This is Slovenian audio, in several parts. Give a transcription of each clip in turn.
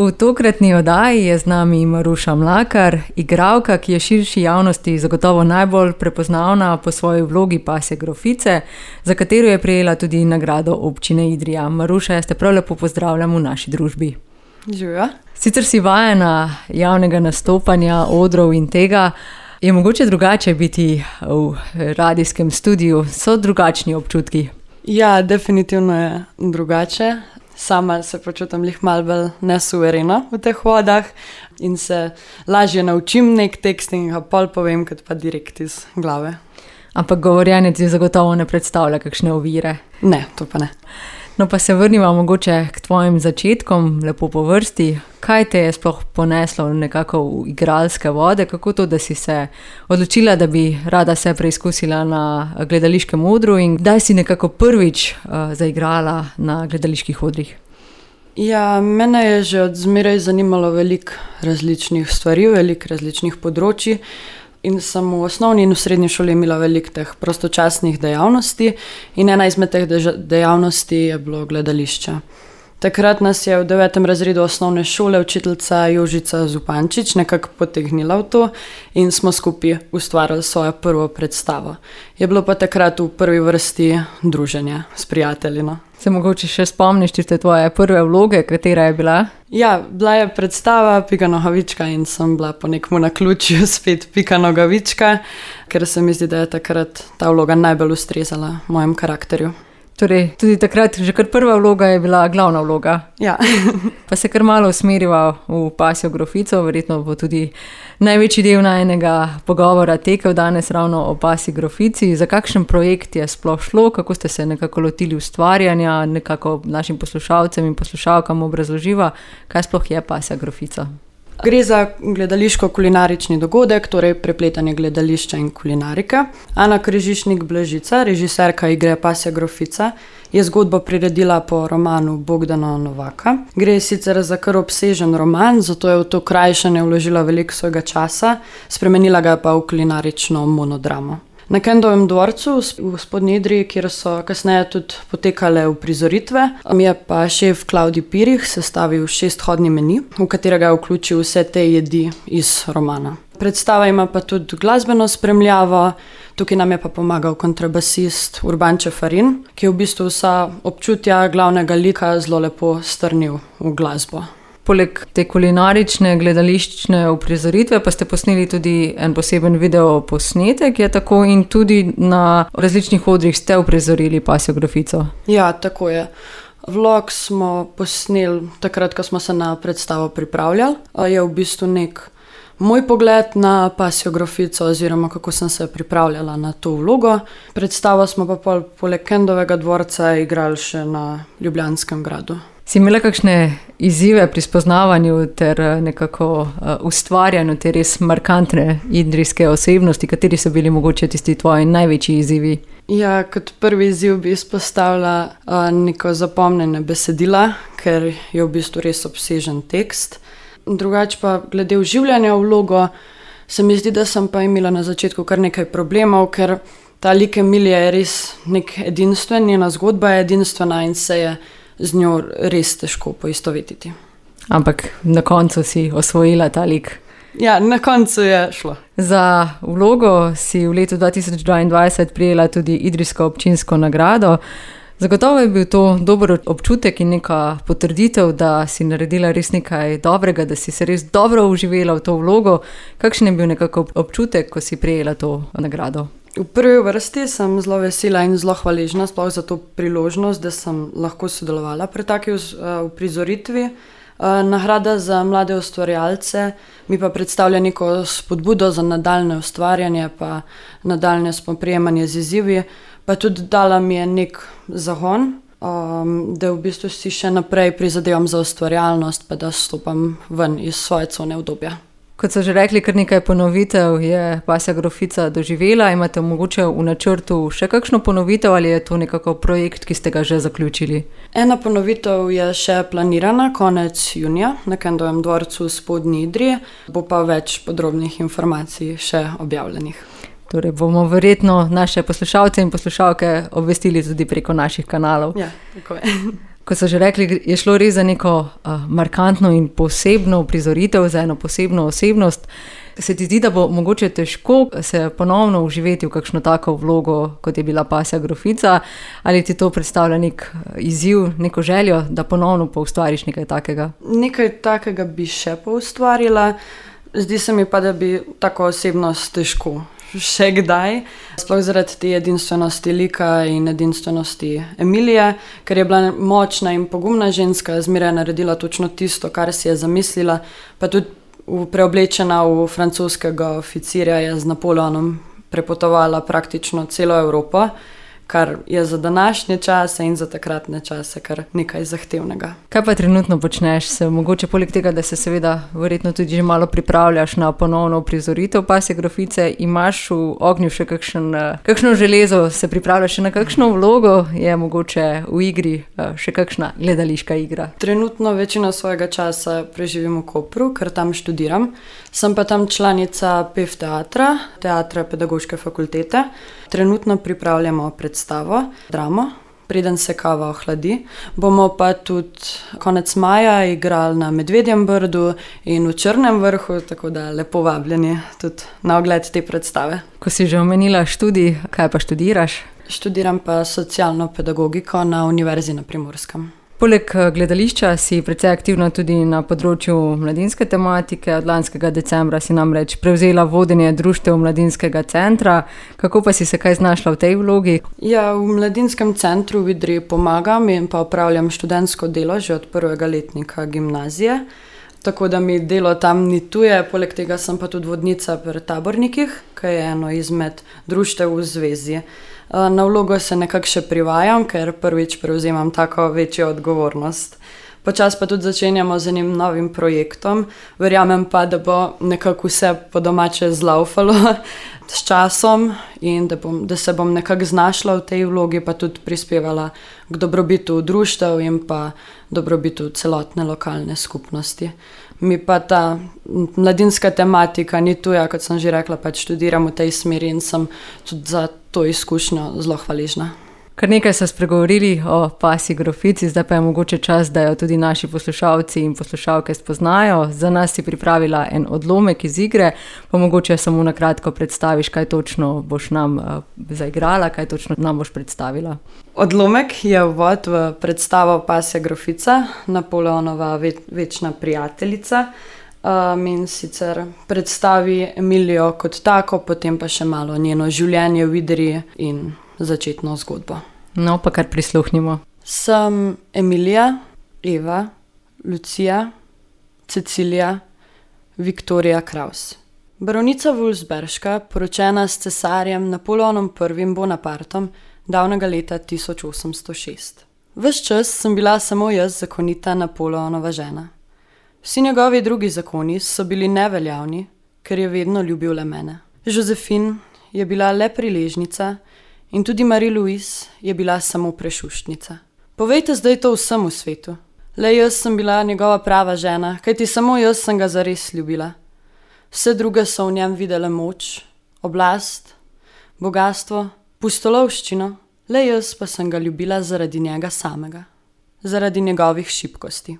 V tokratni oddaji je z nami Maruša Mlakar, igralka, ki je širši javnosti zagotovo najbolj prepoznavna po svoji vlogi pasje grofice, za katero je prejela tudi nagrado občine Idrija. Maruša, jaz te prav lepo pozdravljam v naši družbi. Živijo. Sicer si vajena javnega nastopanja, odrov in tega, je mogoče drugače biti v radijskem studiu, so drugačni občutki? Ja, definitivno je drugače. Sama se počutim malo bolj nesuvereno v teh vodah in se lažje naučim nek tekst in ga pol povem, kot pa direkt iz glave. Ampak govorjenje ti zagotovo ne predstavlja kakšne ovire? Ne, to pa ne. No pa se vrniva mogoče k tvojim začetkom, lepo po vrsti. Kaj te je sploh poneslo nekako v igralske vode? Kako to, da si se odločila, da bi rada se preizkusila na gledališkem odru in kdaj si nekako prvič zaigrala na gledaliških odrih? Ja, mene je že od zmeraj zanimalo veliko različnih stvari, veliko različnih področji. In sem v osnovni in v srednji šoli imela veliko teh prostočasnih dejavnosti in ena izmed teh dejavnosti je bilo gledališče. Takrat nas je v 9. razredu osnovne šole učiteljica Jožica Zupančič nekako potegnila v to in smo skupaj ustvarili svojo prvo predstavo. Je bilo pa takrat v prvi vrsti druženje s prijatelji. Se mogoče še spomniš tiste tvoje prve vloge, katera je bila? Ja, bila je predstava Pika Nogavička in sem bila po nekmu naključju spet Pika Nogavička, ker se mi zdi, da je takrat ta vloga najbolj ustrezala mojem karakterju. Torej, tudi takrat že kar prva vloga je bila glavna vloga. Ja. Pa se kar malo usmeriva v pasjo grofico, verjetno bo tudi največji del najnega pogovora tekel danes ravno o pasji grofici. Za kakšen projekt je sploh šlo, kako ste se nekako lotili ustvarjanja, nekako našim poslušalcem in poslušalkam obrazloživa, kaj sploh je pasja grofica? Gre za gledališko-kulinarični dogodek, torej prepletanje gledališča in kulinarike. Ana Križišnik-Blažica, režiserka igre Pasja grofica, je zgodbo priredila po romanu Bogdana Novaka. Gre sicer za kar obsežen roman, zato je v to krajšanje vložila veliko svojega časa, spremenila ga pa v kulinarično monodramo. Na Kendovem dvorcu v Spodnji Idriji, kjer so kasneje tudi potekale uprizoritve, je pa šef Klavdij Pirih sestavil 6-hodni meni, v katerega je vključil vse te jedi iz romana. Predstava ima pa tudi glasbeno spremljavo, tukaj nam je pa pomagal kontrabasist Urban Čefarin, ki je v bistvu vsa občutja glavnega lika zelo lepo strnil v glasbo. Poleg te kulinarične gledališčne uprizoritve pa ste posneli tudi en poseben video posnetek, je tako, in tudi na različnih odrih ste uprizorili pasjo grofico. Ja, tako je. Vlog smo posneli takrat, ko smo se na predstavo pripravljali. Je v bistvu nek moj pogled na pasjo grofico oziroma kako sem se pripravljala na to vlogo. Predstavo smo pa poleg Kendovega dvorca igrali še na Ljubljanskem gradu. Si imela kakšne izzive pri spoznavanju ter nekako ustvarjanju te res markantne idrijske osebnosti, kateri so bili mogoče tisti tvoji največji izzivi? Ja, kot prvi izziv bi izpostavila neko zapomnjene besedila, ker je v bistvu res obsežen tekst. Drugače pa glede vživljanja v vlogo, se mi zdi, da sem pa imela na začetku kar nekaj problemov, ker ta lik Emilije je res nek edinstven, njena zgodba je edinstvena in se je z njo res težko poistovetiti. Ampak na koncu si osvojila ta lik. Ja, na koncu je šlo. Za vlogo si v letu 2022 prijela tudi Idrijsko občinsko nagrado. Zagotovo je bil to dober občutek in neka potrditev, da si naredila res nekaj dobrega, da si se res dobro vživela v to vlogo. Kakšen je bil nekako občutek, ko si prijela to nagrado? V prvi vrsti sem zelo vesela in zelo hvaležna sploh za to priložnost, da sem lahko sodelovala pri taki uprizoritvi. Nagrada za mlade ustvarjalce mi pa predstavlja neko spodbudo za nadaljne ustvarjanje pa nadaljne spoprijemanje z izzivi, pa tudi dala mi je nek zagon, da v bistvu si še naprej prizadevam za ustvarjalnost pa da stopam ven iz svoje cone udobja. Kot so že rekli, kar nekaj ponovitev je pasja grofica doživela. Imate mogoče v načrtu še kakšno ponovitev ali je to nekako projekt, ki ste ga že zaključili? Ena ponovitev je še planirana konec junija na Kendovem dvorcu v Spodnji Idriji, bo pa več podrobnih informacij še objavljenih. Torej bomo verjetno naše poslušalce in poslušalke obvestili tudi preko naših kanalov. Ja, tako je. Kot so že rekli, je šlo res za neko markantno in posebno uprizoritev, za eno posebno osebnost. Se ti zdi, da bo mogoče težko se ponovno vživeti v kakšno tako vlogo, kot je bila Pasja grofica, ali ti to predstavlja nek izziv, neko željo, da ponovno poustvariš nekaj takega? Nekaj takega bi še poustvarila. Zdi se mi pa, da bi tako osebnost težko še kdaj. Sploh zaradi te edinstvenosti lika in edinstvenosti Emilije, ker je bila močna in pogumna ženska, zmeraj naredila točno tisto, kar si je zamislila, pa tudi preoblečena v francoskega oficirja je z Napoleonom prepotovala praktično celo Evropo, kar je za današnje čase in za takratne čase kar nekaj zahtevnega. Kaj pa trenutno počneš? Se mogoče poleg tega, da se seveda verjetno tudi že malo pripravljaš na ponovno uprizoritev Pasje grofice, imaš v ognju še kakšno železo, se pripravljaš še na kakšno vlogo, je mogoče v igri še kakšna gledališka igra? Trenutno večino svojega časa preživim v Kopru, ker tam študiram. Sem pa tam članica PEF teatra Pedagoške fakultete. Trenutno pripravljamo predstavo, dramo, preden se kava ohladi. Bomo pa tudi konec maja igrali na Medvedjem Brdu in v Črnem vrhu, tako da lepo vabljeni tudi na ogled te predstave. Ko si že omenila študij, kaj pa študiraš? Študiram pa socialno pedagogiko na Univerzi na Primorskem. Poleg gledališča si precej aktivna tudi na področju mladinske tematike. Od lanskega decembra si namreč prevzela vodenje društev Mladinskega centra. Kako pa si se kaj znašla v tej vlogi? Ja, v Mladinskem centru v Idriji pomagam in pa opravljam študentsko delo že od prvega letnika gimnazije. Tako da mi delo tam ni tuje, poleg tega sem pa tudi vodnica pri tabornikih, ki je eno izmed društev v zvezi. Na vlogo se nekako še privajam, ker prvič prevzemam tako večjo odgovornost. Počas pa tudi začenjamo z enim novim projektom. Verjamem pa, da bo nekako vse po domače zlaufalo s časom in da se bom nekako znašla v tej vlogi, pa tudi prispevala k dobrobitu društev in pa dobrobitu celotne lokalne skupnosti. Mi pa ta mladinska tematika ni tuja, kot sem že rekla, pač študiram v tej smeri in sem tudi za to izkušnjo zelo hvaležna. Kar nekaj so spregovorili o Pasji grofici, zdaj pa je mogoče čas, da jo tudi naši poslušalci in poslušalke spoznajo. Za nas si pripravila en odlomek iz igre, pa mogoče samo na kratko predstaviš, kaj točno boš nam zaigrala, kaj točno nam boš predstavila. Odlomek je uvod v predstavo Pasja grofica, Napoleonova večna prijateljica. In sicer predstavi Emilijo kot tako, potem pa še malo njeno življenje v Idriji in začetno zgodbo. No, pa kar prisluhnimo. Sem Emilija, Eva, Lucija, Cecilija, Viktorija Kraus. Baronica Wulfsberška, poročena s cesarjem Napoleonom I. Bonapartom, davnega leta 1806. Ves čas sem bila samo jaz zakonita Napoleonova žena. Vsi njegovi drugi zakoni so bili neveljavni, ker je vedno ljubil le mene. Josephine je bila le priležnica in tudi Marie-Louise je bila samo prešuštnica. Povejte zdaj to vsemu svetu. Le jaz sem bila njegova prava žena, kajti samo jaz sem ga zares ljubila. Vse druge so v njem videle moč, oblast, bogastvo, pustolovščino. Le jaz pa sem ga ljubila zaradi njega samega, zaradi njegovih šibkosti.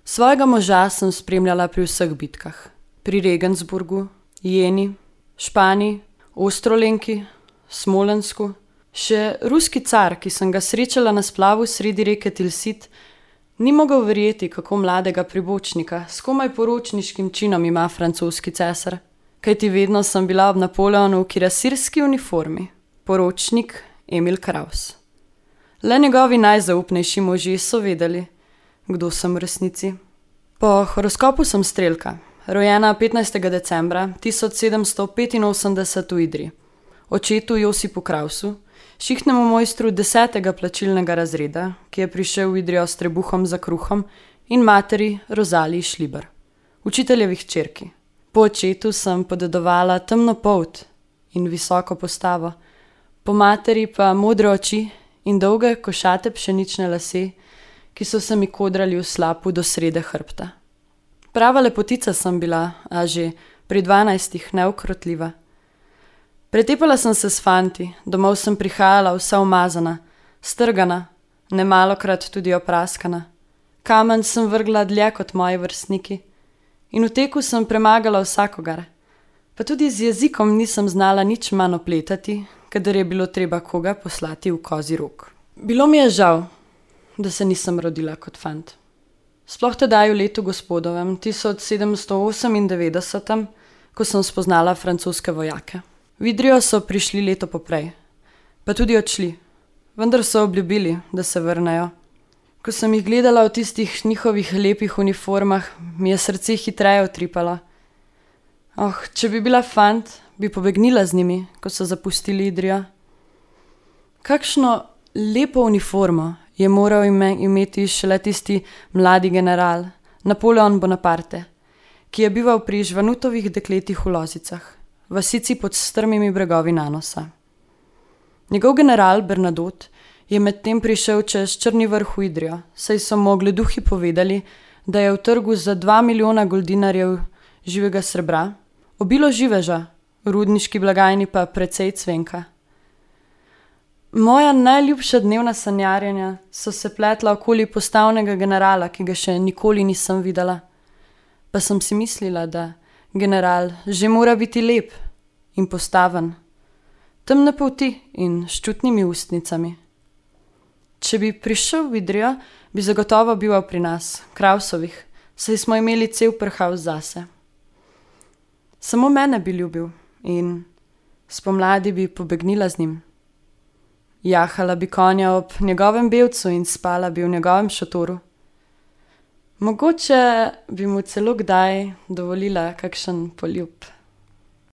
Svojega moža sem spremljala pri vseh bitkah. Pri Regensburgu, Jeni, Španiji, Ostrolenki, Smolensku. Še ruski car, ki sem ga srečala na splavu sredi reke Tilsit, ni mogel verjeti, kako mladega pribočnika s komaj poročniškim činom ima francoski cesar. Kajti vedno sem bila ob Napoleonu v kirasirski uniformi. Poročnik Emil Kraus. Le njegovi najzaupnejši možje so vedeli, kdo sem v resnici. Po horoskopu sem strelka, rojena 15. decembra 1785 v Idriji. Očetu Josipu Krausu, šihtnemu mojstru 10. plačilnega razreda, ki je prišel v Idrijo s trebuhom za kruhom, in materi Rozaliji Šliber, učiteljevih hčerki. Po očetu sem podedovala temno polt in visoko postavo, po materi pa modre oči in dolge košate pšenične lase, ki so se mi kodrali v slapu do srede hrbta. Prava lepotica sem bila, a že pri 12 neukrotljiva. Pretepala sem se s fanti, domov sem prihajala vsa umazana, strgana, nemalokrat tudi opraskana. Kamen sem vrgla dlje kot moji vrstniki in v teku sem premagala vsakogar. Pa tudi z jezikom nisem znala nič manj opletati, kadar je bilo treba koga poslati v kozji rog. Bilo mi je žal, da se nisem rodila kot fant. Sploh tedaj v letu gospodovem 1798, ko sem spoznala francoske vojake. V Idrijo so prišli leto poprej, pa tudi odšli, vendar so obljubili, da se vrnejo. Ko sem jih gledala v tistih njihovih lepih uniformah, mi je srce hitreje utripalo. Če bi bila fant, bi pobegnila z njimi, ko so zapustili Idrijo. Kakšno lepo uniformo je moral imeti šele tisti mladi general, Napoleon Bonaparte, ki je bival pri žvanutovih dekletih v Lozicah, vasici pod strmimi bregovi Nanosa. Njegov general Bernadotte je medtem prišel čez Črni vrh v Idrijo, saj so mu ogleduhi povedali, da je v trgu za 2 milijona goldinarjev živega srebra, obilo živeža, v rudniški blagajni pa precej cvenka. Moja najljubša dnevna sanjarjenja so se pletla okoli postavnega generala, ki ga še nikoli nisem videla. Pa sem si mislila, da general že mora biti lep in postaven, temne polti in s čutnimi ustnicami. Če bi prišel v Idrijo, bi zagotovo bival pri nas, Krausovih, saj smo imeli cel prhaus zase. Samo mene bi ljubil in spomladi bi pobegnila z njim. Jahala bi konja ob njegovem belcu in spala bi v njegovem šotoru. Mogoče bi mu celo kdaj dovolila kakšen poljub.